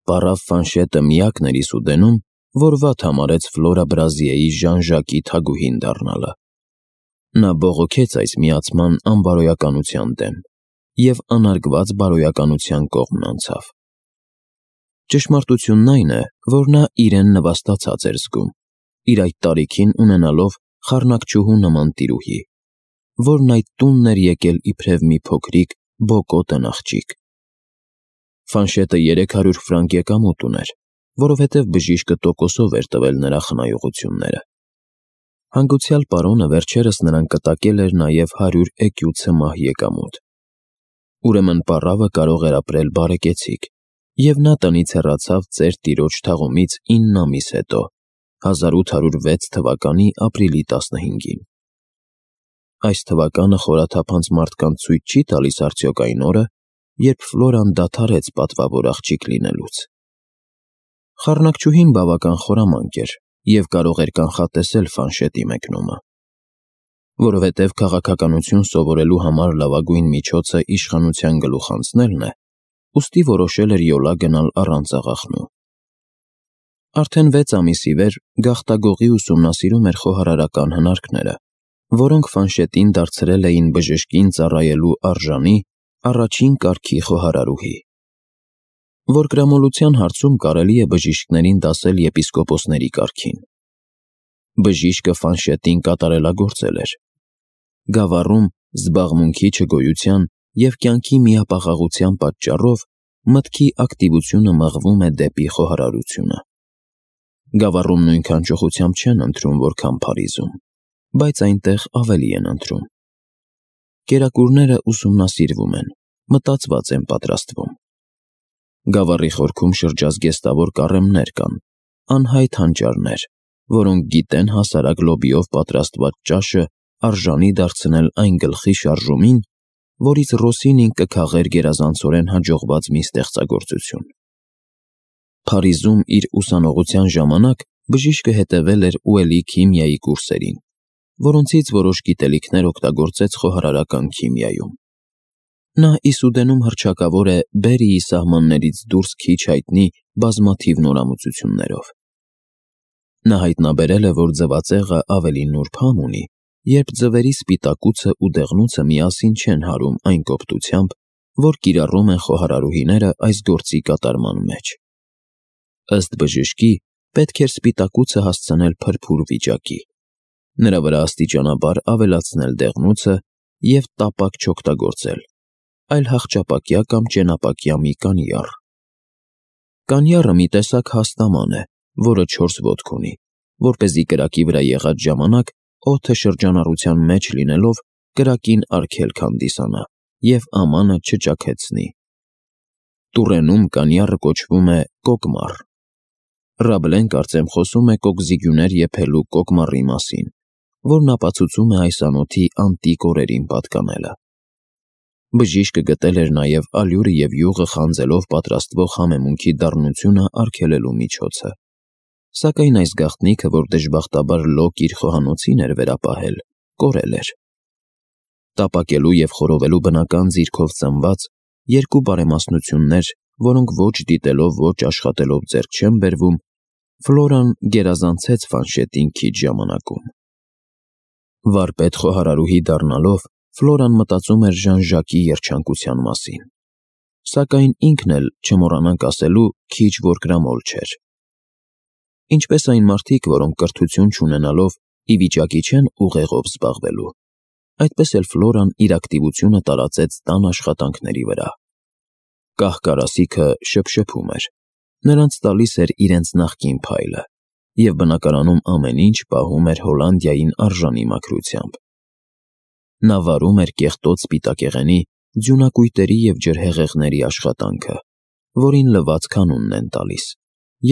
Պարավ Ֆանշետը միակն էր Իսուդենում, որ վատ համարեց Ֆլորա Բրազիեի Ժան-Ժակի թագուհին դառնալը։ Նա բողոքեց այս միացման անբարոյականության դեմ և անարգված բարոյականության կողմն անցավ։ Ճշմարտությունն այն է, որ նա իրեն նվաստացած էր զգում, իր այդ տարիքին ունենալով խառնակչուհու նման տիրուհի, որն այդ տունն էր եկել իբրև մի փոքրիկ բոկոտն աղջիկ։ Ֆանշետը 300 ֆրանկ եկամուտ ուներ, որովհետև բժիշկը տոկոսով էր տվել նրա խնայողությունները։ Հանգուցյալ պարոնը վերջերս նրան կտակել էր նաև 100 էկյու ցմահ եկամուտ։ Ուրեմն պառավը կարող էր ապրել բարեկեցիկ, և նա տնից հեռացավ ծեր տիրոջ թաղումից 9 ամիս հետո, 1806 թվականի ապրիլի 15-ին։ Այս թվականը խորաթափանց մարդկանց ցույց չի տալիս արդյոք այն օրը, երբ Ֆլորան դադարեց պատվավոր աղջիկ լինելուց։ Խառնակչուհին բավական խորամանկ էր և կարող էր կանխատեսել Ֆանշետի մեկնումը։ Որովհետև քաղաքականություն սովորելու համար լավագույն միջոցը իշխանության գլուխ անցնելն է, ուստի որոշել էր յոլա գնալ առանց աղախնու։ Արդեն 6 ամիսի վեր գաղտագողի ուսումնասիրում էր խոհարարական հնարքները, որոնք Ֆանշետին դարձրել էին բժշկին ծառայելու արժանի առաջին կարգի խոհարարուհի։ Որգրամոլության հարցում կարելի է բժիշկներին դասել եպիսկոպոսների կարգին։ Բժիշկը Ֆանշետին կատարելագործել էր։ Գավառում զբաղմունքի չգոյության և կյանքի միապաղաղության պատճառով մտքի ակտիվությունը մղվում է դեպի խոհարարությունը։ Գավառում նույնքան ճոխությամբ չեն ընթրում, որքան Փարիզում, բայց այնտեղ ավելի են ընթրում։ Կերակուրները ուսումնասիրվում են, մտածված են պատրաստվում։ Գավառի խորքում շրջազգեստավոր կառեմներ կան, անհայտ հանճարներ, որոնք գիտեն հասարակ լոբիով պատրաստված ճաշը արժանի դարձնել այն գլխի շարժումին, որից Ռոսինին կքաղեր գերազանցորեն հաջողված մի ստեղծագործություն։ Փարիզում իր ուսանողության ժամանակ բժիշկը հետևել էր Ուելի քիմիայի կուրսերին, որոնցից որոշ գիտելիքներ օգտագործեց խոհարարական քիմիայում։ Նա Իսուդենում հռչակավոր է Բերիի սահմաններից դուրս քիչ հայտնի բազմաթիվ նորամուծություններով։ Նա հայտնաբերել է, որ ձվածեղը ավելի նուրբ համ ունի, երբ ձվերի սպիտակուցը ու դեղնուցը միասին չեն հարում այն կոպտությամբ, որ կիրառում են խոհարարուհիները այս գործի կատարման մեջ։ Ըստ բժշկի, պետք էր սպիտակուցը հասցնել փրփուր վիճակի, նրա վրա աստիճանաբար ավելացնել դեղնուցը և տապակ չօգտագործել, այլ հախճապակյա կամ ճենապակյա մի կանյառ։ Կանյառը մի տեսակ հաստաման է, որը 4 ոտք ունի, որպեսզի կրակի վրա եղած ժամանակ օդը շրջանառության մեջ լինելով կրակին արգելք հանդիսանա և ամանը չճաքեցնի։ Տուրենում կանյառը կոչվում է կոկմար։ Ռաբլեն կարծեմ խոսում է կոկզիգյուներ եփելու կոկմարի մասին, որն ապացուցում է այս անոթի անտիկ օրերին պատկանելը։ Բժիշկը գտել էր նաև ալյուրը և յուղը խանձելով պատրաստվող համեմունքի դառնությունը արգելելու միջոցը, սակայն այս գաղտնիքը, որ դժբախտաբար Լոկ իր խոհանոցին էր վերապահել, կորել էր։ Տապակելու և խորովելու բնական ձիրքով ծնված երկու բարեմասնություններ, որոնք ոչ դիտելով, ոչ աշխատելով ձեռք չեն բերվում, Ֆլորան գերազանցեց Ֆանշետին քիչ ժամանակում։ Վարպետ խոհարարուհի դառնալով Ֆլորան մտածում էր Ժան-Ժակի երջանկության մասին, սակայն ինքն էլ, չմոռանանք ասելու, քիչ որգրամոլ չէր։ Ինչպես այն մարդիկ, որոնք կրթություն չունենալով ի վիճակի չեն ուղեղով զբաղվելու, այդպես էլ Ֆլորան իր ակտիվությունը տարածեց տան աշխատանքների վրա։ Կահ-կարասիքը շփշփում էր, նրանց տալիս էր իրենց նախկին փայլը, և բնակարանում ամեն ինչ պահում էր Հոլանդիային արժանի մաքրությամբ։ Նա վարում էր կեղտոտ սպիտակեղենի, ձյունակույտերի և ջրհեղեղների աշխատանքը, որին լվացք անունն են տալիս,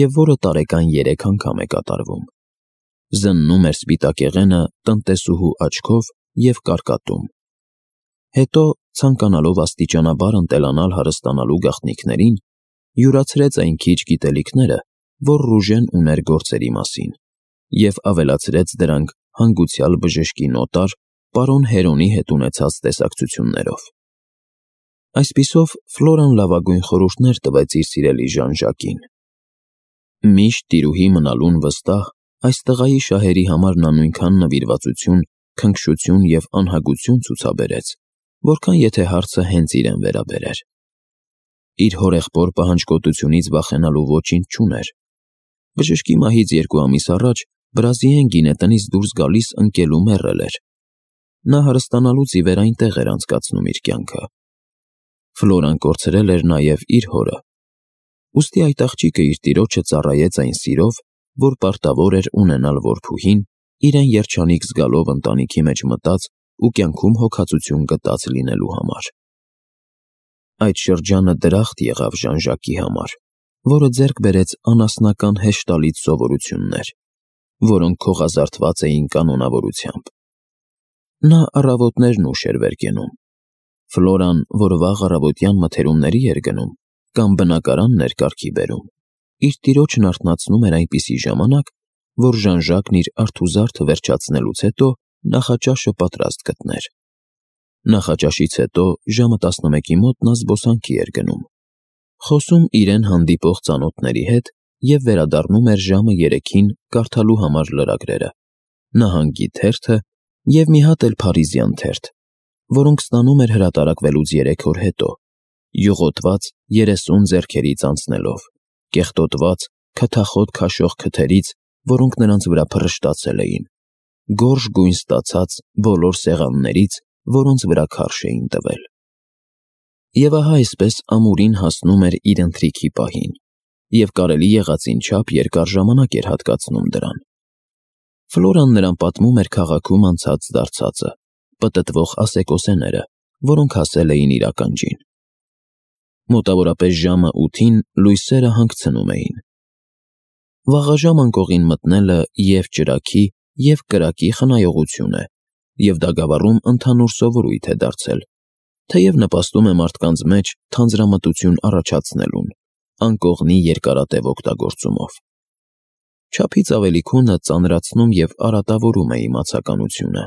և որը տարեկան 3 անգամ է կատարվում։ Զննում էր սպիտակեղենը տնտեսուհու աչքով և կարկատում։ Հետո, ցանկանալով աստիճանաբար ընտելանալ հարստանալու գաղտնիքներին, յուրացրեց այն քիչ գիտելիքները, որ Ռուժեն ուներ գործերի մասին, և ավելացրեց դրանք հանգուցյալ բժշկի նոտար պարոն Հերոնի հետ ունեցած տեսակցություններով։ Այսպիսով Ֆլորան լավագույն խորհուրդներ տվեց իր սիրելի Ժան-Ժակին։ Միշտ տիրուհի մնալուն վստահ, այս տղայի շահերի համար նա նույնքան նվիրվածություն, քնքշություն և անհագություն ցուցաբերեց, որքան եթե հարցը հենց իրեն վերաբերեր։ Իր հորեղբոր պահանջկոտությունից վախենալու ոչինչ չուներ։ Բժշկի մահից 2 ամիս առաջ Բրազիեն գինետնից դուրս գալիս ընկելու մեռել էր։ Նա հարստանալուց ի վեր այնտեղ էր անցկացնում իր կյանքը։ Ֆլորան կորցրել էր նաև իր հորը։ Ուստի այդ աղջիկը իր տիրոջը ծառայեց այն սիրով, որ պարտավոր էր ունենալ որբուհին, իրեն երջանիկ զգալով ընտանիքի մեջ մտած ու կյանքում հոգացություն գտած լինելու համար։ Այդ շրջանը դրախտ եղավ Ժան-Ժակի համար, որը ձեռք բերեց անասնական հեշտալից սովորություններ, որոնք քողազարդված էին կանոնավորությամբ։ Նա առավոտներն ուշ էր վեր կենում։ Ֆլորան, որ վաղ առավոտյան մթերումների էր գնում կամ բնակարանն էր կարգի բերում, իր տիրոջն արթնացնում էր այնպիսի ժամանակ, որ Ժան-Ժակն իր արթուզարդը վերջացնելուց հետո նախաճաշը պատրաստ գտներ։ Նախաճաշից հետո ժամը 11-ի մոտ նա զբոսանքի էր գնում, խոսում իրեն հանդիպող ծանոթների հետ և վերադառնում էր ժամը 3-ին կարդալու համար լրագրերը, նահանգի թերթը և մի հատ էլ փարիզյան թերթ, որոնք ստանում էր հրատարակվելուց 3 օր հետո, յուղոտված 30 ձեռքերից անցնելով, կեղտոտված, քթախոտ քաշող քթերից, որոնք նրանց վրա փռշտացել էին, գորշ գույն ստացած բոլոր սեղաններից, որոնց վրա քարշ էին տվել։ Եվ ահա այսպես ամուրին հասնում էր իր ընթրիքի պահին, և կարելի եղածին չափ երկար ժամանակ էր հատկացնում դրան։ Ֆլորան նրան պատմում էր քաղաքում անցած դարձածը, պտտվող ասեկոսեները, որոնք հասել էին իր ականջին։ Մոտավորապես ժամը 8-ին լույսերը հանգցնում էին։ Վաղաժամ անկողին մտնելը և ճրագի, և կրակի խնայողություն է, և դա Գավառում ընդհանուր սովորույթ է դարձել, թեև նպաստում է մարդկանց մեջ թանձրամտություն առաջացնելուն, անկողնի երկարատև օգտագործումով։ Չափից ավելի քունը ծանրացնում և արատավորում է իմացականությունը։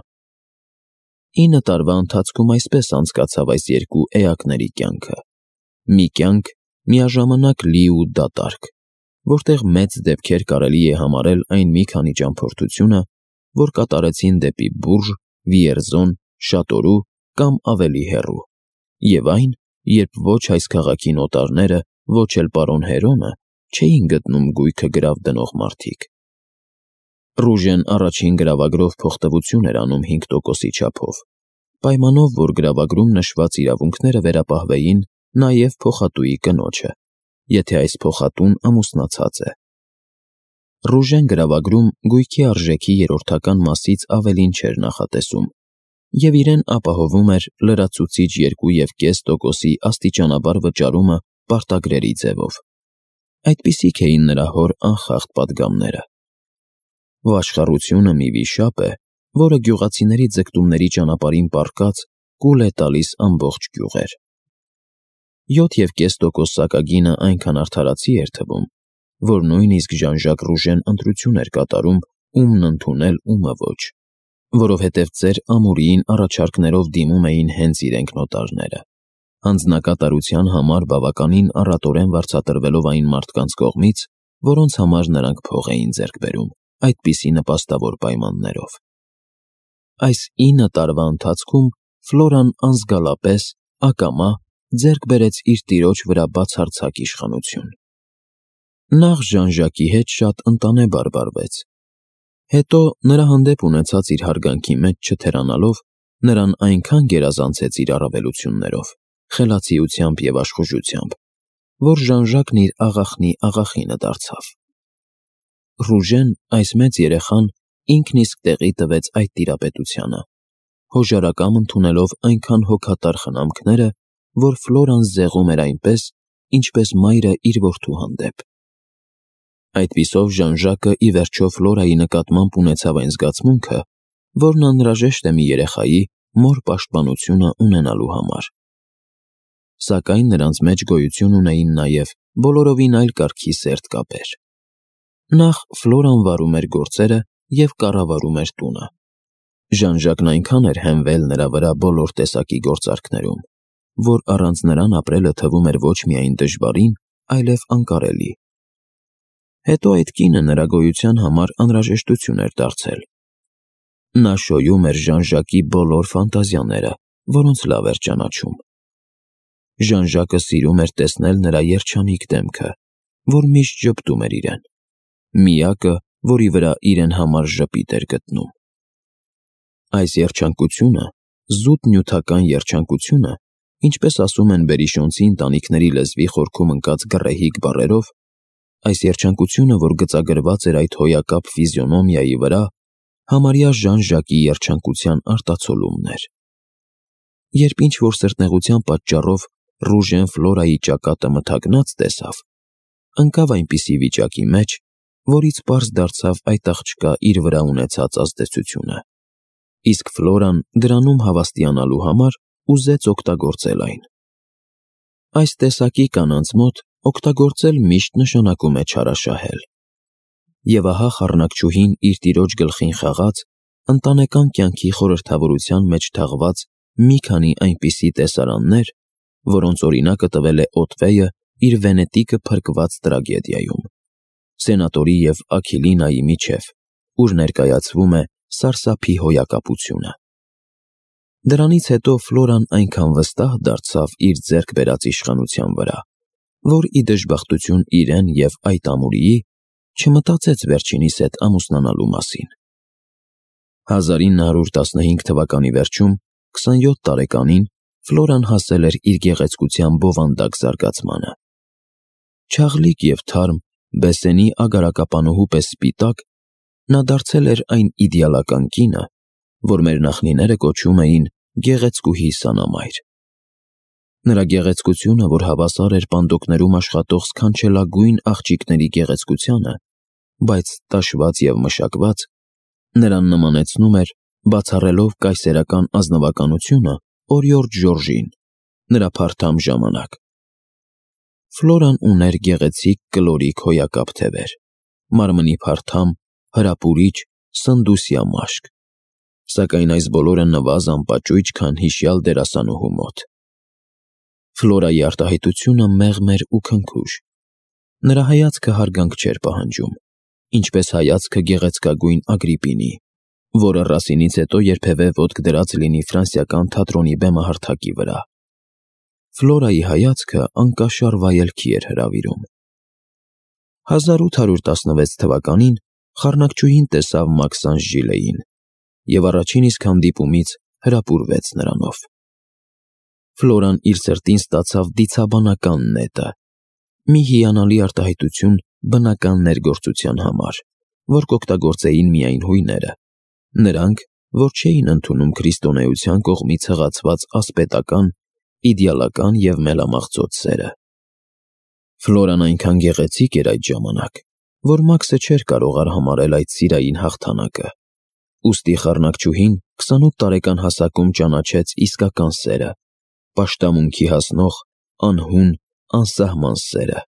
9 տարվա ընթացքում այսպես անցկացավ այս երկու էակների կյանքը։ Մի կյանք միաժամանակ լի ու դատարկ, որտեղ մեծ դեպքեր կարելի է համարել այն մի քանի ճամփորդությունը, որ կատարեցին դեպի Բուրժ, Վիերզոն, Շատորու կամ ավելի հեռու, և այն, երբ ոչ այս քաղաքի նոտարները, ոչ էլ պարոն Հերոմը չէին գտնում գույքը գրավ դնող մարդիկ։ Ռուժեն առաջին գրավագրով փոխտվություն էր անում 5%-ի չափով, պայմանով, որ գրավագրում նշված իրավունքները վերապահվեին նաև փոխատուի կնոջը, եթե այս փոխատուն ամուսնացած է։ Ռուժեն գրավագրում գույքի արժեքի երրորդական մասից ավելին չէր նախատեսում, և իրեն ապահովում էր լրացուցիչ 2,5%-ի աստիճանաբար վճարումը պարտագրերի ձևով։ Այդպիսիք էին նրա հոր անխախտ պատգամները։ Վաշխառությունը մի վիշապ է, որը գյուղացիների ձգտումների ճանապարհին պառկած կուլ է տալիս ամբողջ գյուղեր։ 7,5% սակագինը այնքան արդարացի էր թվում, որ նույնիսկ Ժան-Ժակ Ռուժեն ընտրություն էր կատարում ումն ընդունել, ումը ոչ, որովհետև ծեր Ամուրիին առաջարկներով դիմում էին հենց իրենք նոտարները, հանձնակատարության համար բավականին առատորեն վարձատրվելով այն մարդկանց կողմից, որոնց համար նրանք փող էին ձեռք բերում այդպիսի նպաստավոր պայմաններով։ Այս 9 տարվա ընթացքում Ֆլորան անզգալապես, ակամա ձեռք բերեց իր տիրոջ վրա բացարձակ իշխանություն։ Նախ Ժան-Ժակի հետ շատ ընտանեբար վարվեց, հետո նրա հանդեպ ունեցած իր հարգանքի մեջ չթերանալով, նրան այնքան գերազանցեց իր առավելություններով, խելացիությամբ և աշխուժությամբ, որ Ժան-Ժակն իր աղախնի աղախինը դարձավ։ Ռուժեն, այս մեծ երեխան, ինքն իսկ տեղի տվեց այդ տիրապետությանը, հոժարակամ ընդունելով այնքան հոգատար խնամքները, որ Ֆլորան զեղում էր այնպես, ինչպես մայրը իր որդու հանդեպ։ Այդպիսով Ժան-Ժակը ի վերջո Ֆլորայի նկատմամբ ունեցավ այն զգացմունքը, որն անհրաժեշտ է մի երեխայի մոր պաշտպանությունը ունենալու համար։ Սակայն նրանց մեջ գոյություն ունեին նաև բոլորովին այլ կարգի սերտ կապեր։ Նախ Ֆլորան վարում էր գործերը և կառավարում էր տունը։ Ժան-Ժակն այնքան էր հենվել նրա վրա բոլոր տեսակի գործարքներում, որ առանց նրան ապրելը թվում էր ոչ միայն դժվարին, այլև անկարելի։ Հետո այդ կինը նրա գոյության համար անհրաժեշտություն էր դարձել։ Նա շոյում էր Ժան-Ժակի բոլոր ֆանտազիաները, որոնց լավ էր ճանաչում։ Ժան-Ժակը սիրում էր տեսնել նրա երջանիկ դեմքը, որ միշտ ժպտում էր իրեն, միակը, որի վրա իրեն համար ժպիտ էր գտնում։ Այս երջանկությունը, զուտ նյութական երջանկությունը, ինչպես ասում են բերիշոնցի ընտանիքների լեզվի խորքում ընկած գռեհիկ բառերով, այս երջանկությունը, որ գծագրված էր այդ հոյակապ ֆիզիոնոմիայի վրա, համարյա Ժան-Ժակի երջանկության արտացոլումն էր։ Երբ ինչ-որ սրտնեղության պատճառով Ռուժեն Ֆլորայի ճակատը մթագնած տեսավ, ընկավ այնպիսի վիճակի մեջ, որից պարզ դարձավ այդ աղջկա իր վրա ունեցած ազդեցությունը, իսկ Ֆլորան դրանում հավաստիանալու համար ուզեց օգտագործել այն։ Այս տեսակի կանանց մոտ օգտագործել միշտ նշանակում է չարաշահել։ Եվ ահա խառնակչուհին իր տիրոջ գլխին խաղաց ընտանեկան կյանքի խորհրդավորության մեջ թաղված մի քանի այնպիսի տեսարաններ, որոնց օրինակը տվել է Օթվեյը իր Վենետիկը փրկված տրագեդիայում, Սենատորի և Աքիլինայի միջև, ուր ներկայացվում է սարսափի հոյակապությունը։ Դրանից հետո Ֆլորան այնքան վստահ դարձավ իր ձեռք բերած իշխանության վրա, որ ի դժբախտություն իրեն և այդ ամուրիի, չմտածեց վերջինիս հետ ամուսնանալու մասին։ 1915 թվականի վերջում, 27 տարեկանին, Ֆլորան հասել էր իր գեղեցկության բովանդակ զարգացմանը։ Չաղլիկ և թարմ, Բեսենի ագարակապանուհու պես սպիտակ, նա դարձել էր այն իդեալական կինը, որ մեր նախնիները կոչում էին գեղեցկուհի սանամայր։ Նրա գեղեցկությունը, որ հավասար էր պանդոկներում աշխատող սքանչելագույն աղջիկների գեղեցկությանը, բայց տաշված և մշակված, նրան նմանեցնում էր, բացառելով կայսերական ազնվականությունը, օրիորդ Ժորժին, նրա փարթամ ժամանակ։ Ֆլորան ուներ գեղեցիկ կլորիկ հոյակապ թևեր, մարմնի փարթամ, հրապուրիչ, սնդուսյա մաշկ, սակայն այս բոլորը նվազ անպաճույճ, քան հիշյալ դերասանուհու մոտ։ Ֆլորայի արտահայտությունը մեղմ էր ու քնքուշ։ Նրա հայացքը հարգանք չէր պահանջում, ինչպես հայացքը գեղեցկագույն Ագրիպինի, որը Ռասինից հետո երբևէ ոտք դրած լինի ֆրանսիական թատրոնի բեմահարթակի վրա։ Ֆլորայի հայացքը անկաշար վայելքի էր հրավիրում։ 1816 թվականին խառնակչուհին տեսավ Մաքսանժ Ժիլեին և առաջին իսկ հանդիպումից հրապուրվեց նրանով։ Ֆլորան իր սրտին ստացավ դիցաբանական նետը, մի հիանալի արտահայտություն բնական ներգործության համար, որ կօգտագործեին միայն հույները, նրանք, որ չէին ընդունում քրիստոնեության կողմից հղացված ասպետական, իդեալական և մելամաղձոտ սերը։ Ֆլորան այնքան գեղեցիկ էր այդ ժամանակ, որ Մաքսը չէր կարող արհամարհել այդ սիրային հաղթանակը, ուստի խառնակչուհին 28 տարեկան հասակում ճանաչեց իսկական սերը, պաշտամունքի հասնող, անհուն, անսահման սերը,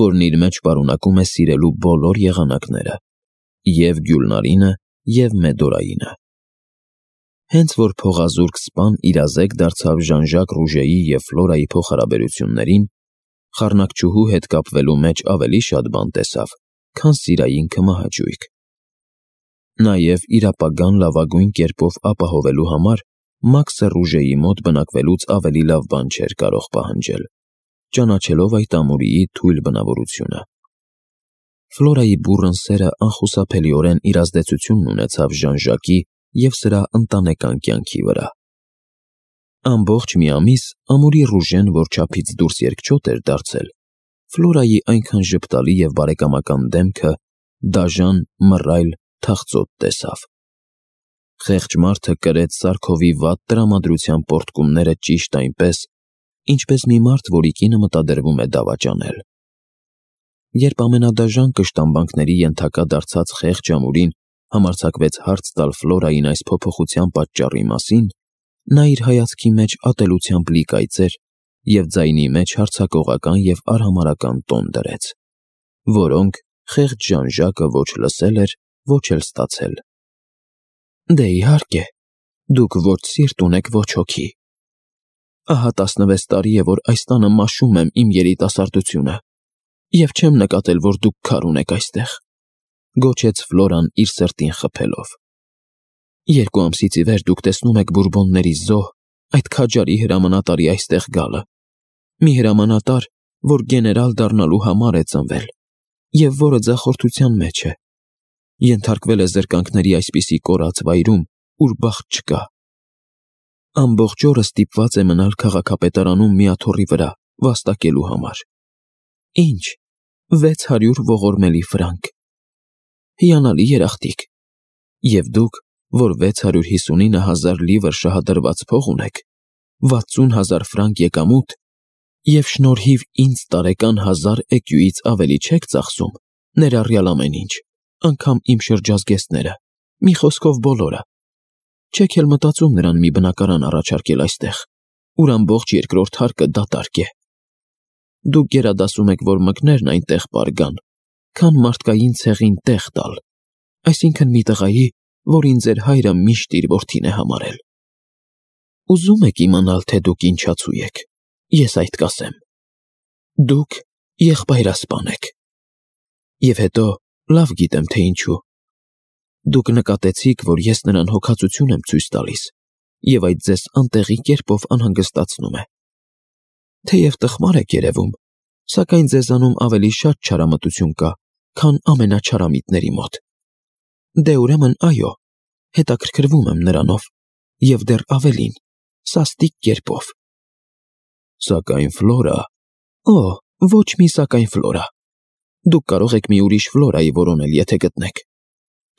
որն իր մեջ պարունակում է սիրելու բոլոր եղանակները, և Գյուլնարինը, և Մեդորայինը։ Հենց որ փողազուրկ սպան իրազեկ դարձավ Ժան-Ժակ Ռուժեի և Ֆլորայի փոխհարաբերություններին, խառնակչուհու հետ կապվելու մեջ ավելի շատ բան տեսավ, քան սիրային քմահաճույք։ Նաև իր ապագան լավագույն կերպով ապահովելու համար Մաքսը Ռուժեի մոտ բնակվելուց ավելի լավ բան չէր կարող պահանջել, ճանաչելով այդ ամուրիի թույլ բնավորությունը։ Ֆլորայի բուռն սերը անխուսափելիորեն իր ազդեցությունն ունեցավ Ժան-Ժակի և սրա ընտանեկան կյանքի վրա։ Ամբողջ մի ամիս ամուրի Ռուժեն, որ չափից դուրս երկչոտ էր դարձել, Ֆլորայի այնքան ժպտալի և բարեկամական դեմքը դաժան, մռայլ, թախծոտ տեսավ։ Խեղճ մարդը կրեց Սարքովի վատ տրամադրության պոռթկումները ճիշտ այնպես, ինչպես մի մարդ, որի կինը մտադրվում է դավաճանել։ Երբ ամենադաժան կշտամբանքների ենթակա դարձած խեղճ ամուրին համարձակվեց հարց տալ Ֆլորային այս փոփոխության պատճառի մասին, նա իր հայացքի մեջ ատելությամբ լի կայծեր և ձայնի մեջ հարձակողական և արհամարհական տոն դրեց, որոնք խեղճ Ժան-Ժակը ոչ լսել էր, ոչ էլ ստացել։ Դե իհարկե, դուք ոչ սիրտ ունեք, ոչ հոգի։ Ահա 16 տարի է, որ այս տանը մաշում եմ իմ երիտասարդությունը, և չեմ նկատել, որ դուք քար ունեք այստեղ, գոչեց Ֆլորան իր սրտին խփելով։ 2 ամսից ի վեր դուք տեսնում եք բուրբոնների զոհ, այդ քաջարի հրամանատարի այստեղ գալը, մի հրամանատար, որ գեներալ դառնալու համար է ծնվել, և որը ձախորդության մեջ է, ենթարկվել է զրկանքների այսպիսի կորած վայրում, ուր բախտ չկա։ Ամբողջ օրը ստիպված է մնալ քաղաքապետարանում մի աթոռի վրա, վաստակելու համար։ Ինչ, 600 ողորմելի ֆրանկ։ Հիանալի երախտիկ։ Եվ դուք, որ 659,000 լիվր շահադրված փող ունեք, 60,000 ֆրանկ եկամուտ, և շնորհիվ ինձ տարեկան 1000 էկյուից ավելի չեք ծախսում, ներառյալ ամեն ինչ, անգամ իմ շրջազգեստները, մի խոսքով բոլորը։ Չեք էլ մտածում նրան մի բնակարան առաջարկել այստեղ, ուր ամբողջ երկրորդ հարկը դատարկ է։ Դուք գերադասում եք, որ մկներն այնտեղ պարգան, քան մարդկային ցեղին տեղ տալ, այսինքն մի տղայի, որին ձեր հայրը միշտ իր որդին է համարել։ Ուզում եք իմանալ, թե դուք ինչացու եք, ես այդ կասեմ։ Դուք եղբայրասպան եք։ Եվ հետո լավ գիտեմ, թե ինչու։ Դուք նկատեցիք, որ ես նրան հոգացություն եմ ցույց տալիս, և այդ ձեզ անտեղի կերպով անհանգստացնում է։ Թեև տխմար եք երևում, սակայն ձեզանում ավելի շատ չարամտություն կա, քան ամենաչարամիտների մոտ։ Դե ուրեմն այո, հետաքրքրվում եմ նրանով, և դեռ ավելին, սաստիկ կերպով։ Սակայն Ֆլորա… Օ, ոչ մի սակայն Ֆլորա։ Դուք կարող եք մի ուրիշ Ֆլորայի որոնել, եթե գտնեք։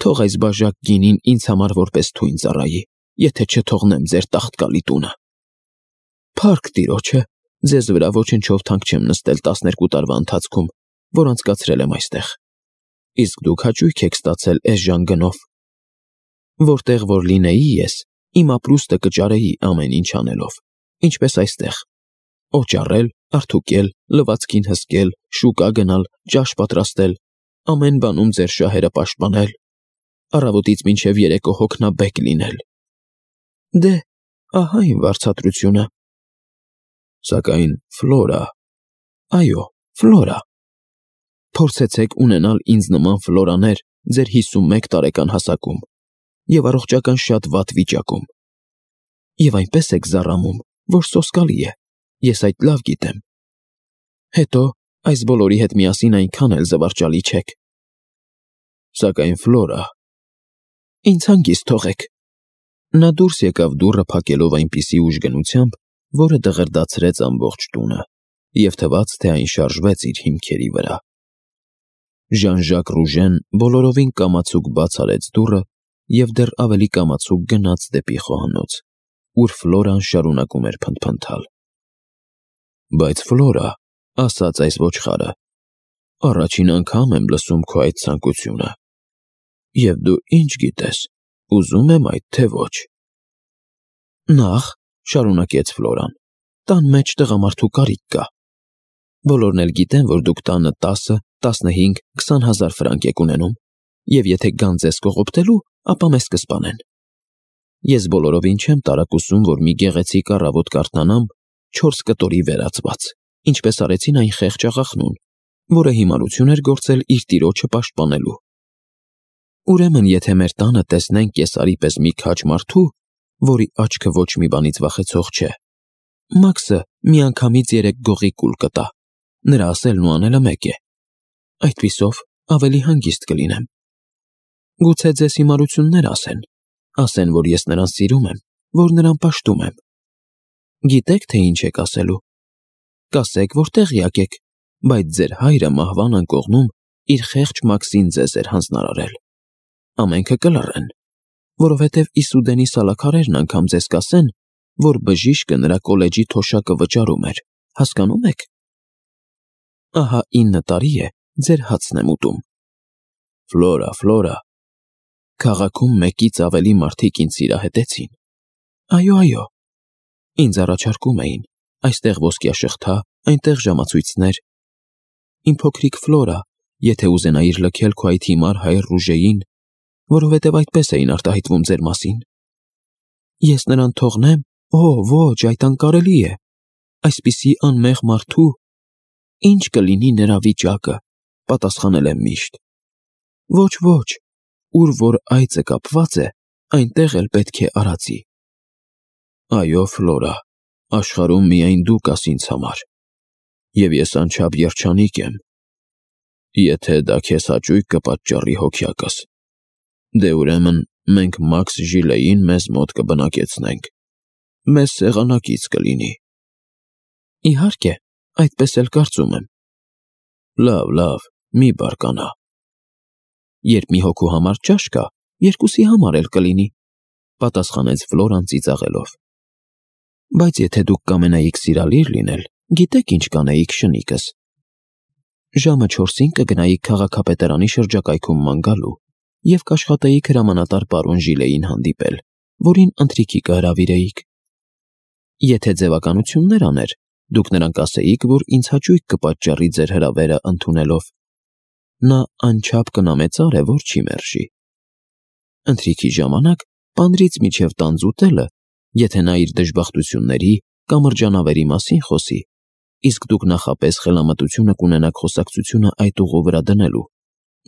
Թող այս բաժակ գինին ինձ համար որպես թույն ծառայի, եթե չթողնեմ ձեր տաղտկալի տունը։ Փառք Տիրոջը, ձեզ վրա ոչնչով թանկ չեմ նստել 12 տարվա ընթացքում, որ անցկացրել եմ այստեղ։ Իսկ դուք հաճույք եք ստացել էժան գնով։ Որտեղ որ լինեի ես, իմ ապրուստը կճարեի ամեն ինչ անելով, ինչպես այստեղ. օճառել, արդուկել, լվացքին հսկել, շուկա գնալ, ճաշ պատրաստել, ամեն բանում ձեր շահերը պաշտպանել, առավոտից մինչև երեկո հոգնաբեկ լինել։ Դե, ահա իմ վարձատրությունը։ Սակայն Ֆլորա… Այո, Ֆլորա… Փորձեցեք ունենալ ինձ նման Ֆլորաներ ձեր 51 տարեկան հասակում և առողջական շատ վատ վիճակում։ Եվ այնպես եք զառամում, որ սոսկալի է, ես այդ լավ գիտեմ։ Հետո, այս բոլորի հետ միասին այնքան էլ զվարճալի չեք։ Սակայն Ֆլորա… Ինձ հանգիստ թողեք։ Նա դուրս եկավ դուռը փակելով այնպիսի ուժգնությամբ, որը դղրդացրեց ամբողջ տունը, և թվաց, թե այն շարժվեց իր հիմքերի վրա։ Ժան-Ժակ Ռուժեն բոլորովին կամացուկ բաց արեց դուռը և դեռ ավելի կամացուկ գնաց դեպի խոհանոց, ուր Ֆլորան շարունակում էր փնթփնթալ։ Բայց Ֆլորա, ասաց այս ոչխարը, առաջին անգամ եմ լսում քո այդ ցանկությունը։ Եվ դու ինչ գիտես, ուզում եմ այդ թե ոչ։ Նախ, շարունակեց Ֆլորան, տան մեջ տղամարդու կարիք կա։ Բոլորն էլ գիտեն, որ դուք տանը 10, 15, 20,000 ֆրանկ եք ունենում, և եթե գան ձեզ կողոպտելու, ապա մեզ կսպանեն։ Ես բոլորովին չեմ տարակուսում, որ մի գեղեցիկ առավոտ կարդանամ 4 կտորի վերածված, ինչպես արեցին այն խեղճ աղախնուն, որը հիմարություն էր գործել իր տիրոջը պաշտպանելու։ Ուրեմն, եթե մեր տանը տեսնենք կեսարի պես մի քաջ մարդու, որի աչքը ոչ մի բանից վախեցող չէ, Մաքսը միանգամից 3 գողի կուլ կտա, նրա ասելն ու անելը մեկ է։ Այդպիսով ավելի հանգիստ կլինեմ։ Գուցե ձեզ հիմարություններ ասեն, որ ես նրան սիրում եմ, որ նրան պաշտում եմ։ Գիտեք, թե ինչ եք ասելու։ Կասեք, որ տեղյակ եք, բայց ձեր հայրը մահվան անկողնում իր խեղճ Մաքսին ձեզ էր հանձնարարել։ Ամենքը կլռեն, որովհետև Իսուդենի սալաքարերն անգամ ձեզ կասեն, որ բժիշկը նրա կոլեջի թոշակը վճարում էր, հասկանում եք։ Ահա 9 տարի է ձեր հացն եմ ուտում։ Ֆլորա, Ֆլորա… Քաղաքում մեկից ավելի մարդիկ ինձ սիրահետեցին։ Այո, ինձ առաջարկում էին, այստեղ ոսկյաշղթա, այնտեղ ժամացույցներ։ Իմ փոքրիկ Ֆլորա, եթե ուզենայիր լքել քո այդ հիմար հայր Ռուժեին, որովհետև այդպես էին արտահայտվում ձեր մասին։ Ես նրան թողնեմ Ոչ, այդ անկարելի է։ Այսպիսի անմեղ մարդու ինչ կլինի նրա վիճակը, պատասխանել եմ միշտ։ Ոչ, ուր որ այծը կապված է, այնտեղ էլ պետք է արածի։ Այո, Ֆլորա, աշխարհում միայն դու կաս ինձ համար, և ես անչափ երջանիկ եմ, եթե դա քեզ հաճույք կպատճառի հոգյակս, դե ուրեմն մենք Մաքս Ժիլեին մեզ մոտ կբնակեցնենք, մեզ սեղանակից կլինի։ Իհարկե, այդպես էլ կարծում եմ։ Լավ, մի բարկանա։ Երբ մի հոգու համար ճաշ կա, երկուսի համար էլ կլինի, պատասխանեց Ֆլորան ծիծաղելով։ Բայց եթե դուք կամենայիք սիրալիր լինել, գիտեք ինչ կանեիք շնիկս։ Ժամը 4-ին կգնայիք քաղաքապետարանի շրջակայքում ման գալու և կաշխատեիք հրամանատար պարոն Ժիլեին հանդիպել, որին ընթրիքի կհրավիրեիք։ Եթե ձևականություններ աներ, դուք նրան կասեիք, որ ինձ հաճույք կպատճառի ձեր հրավերը ընդունելով։ Նա անչափ կնամեծար է, որ չի մերժի։ Ընթրիքի ժամանակ պանրից մինչև տանձ ուտելը, եթե նա իր դժբախտությունների կամ մրջանավերի մասին խոսի, իսկ դուք նախապես խելամտությունը կունենաք խոսակցությունը այդ ուղու վրա դնելու,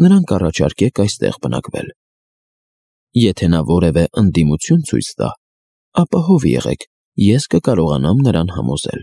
նրան կառաջարկեք այստեղ բնակվել։ Եթե նա որևէ ընդդիմություն ցույց տա, ապա հով եղեք, ես կկարողանամ նրան համոզել։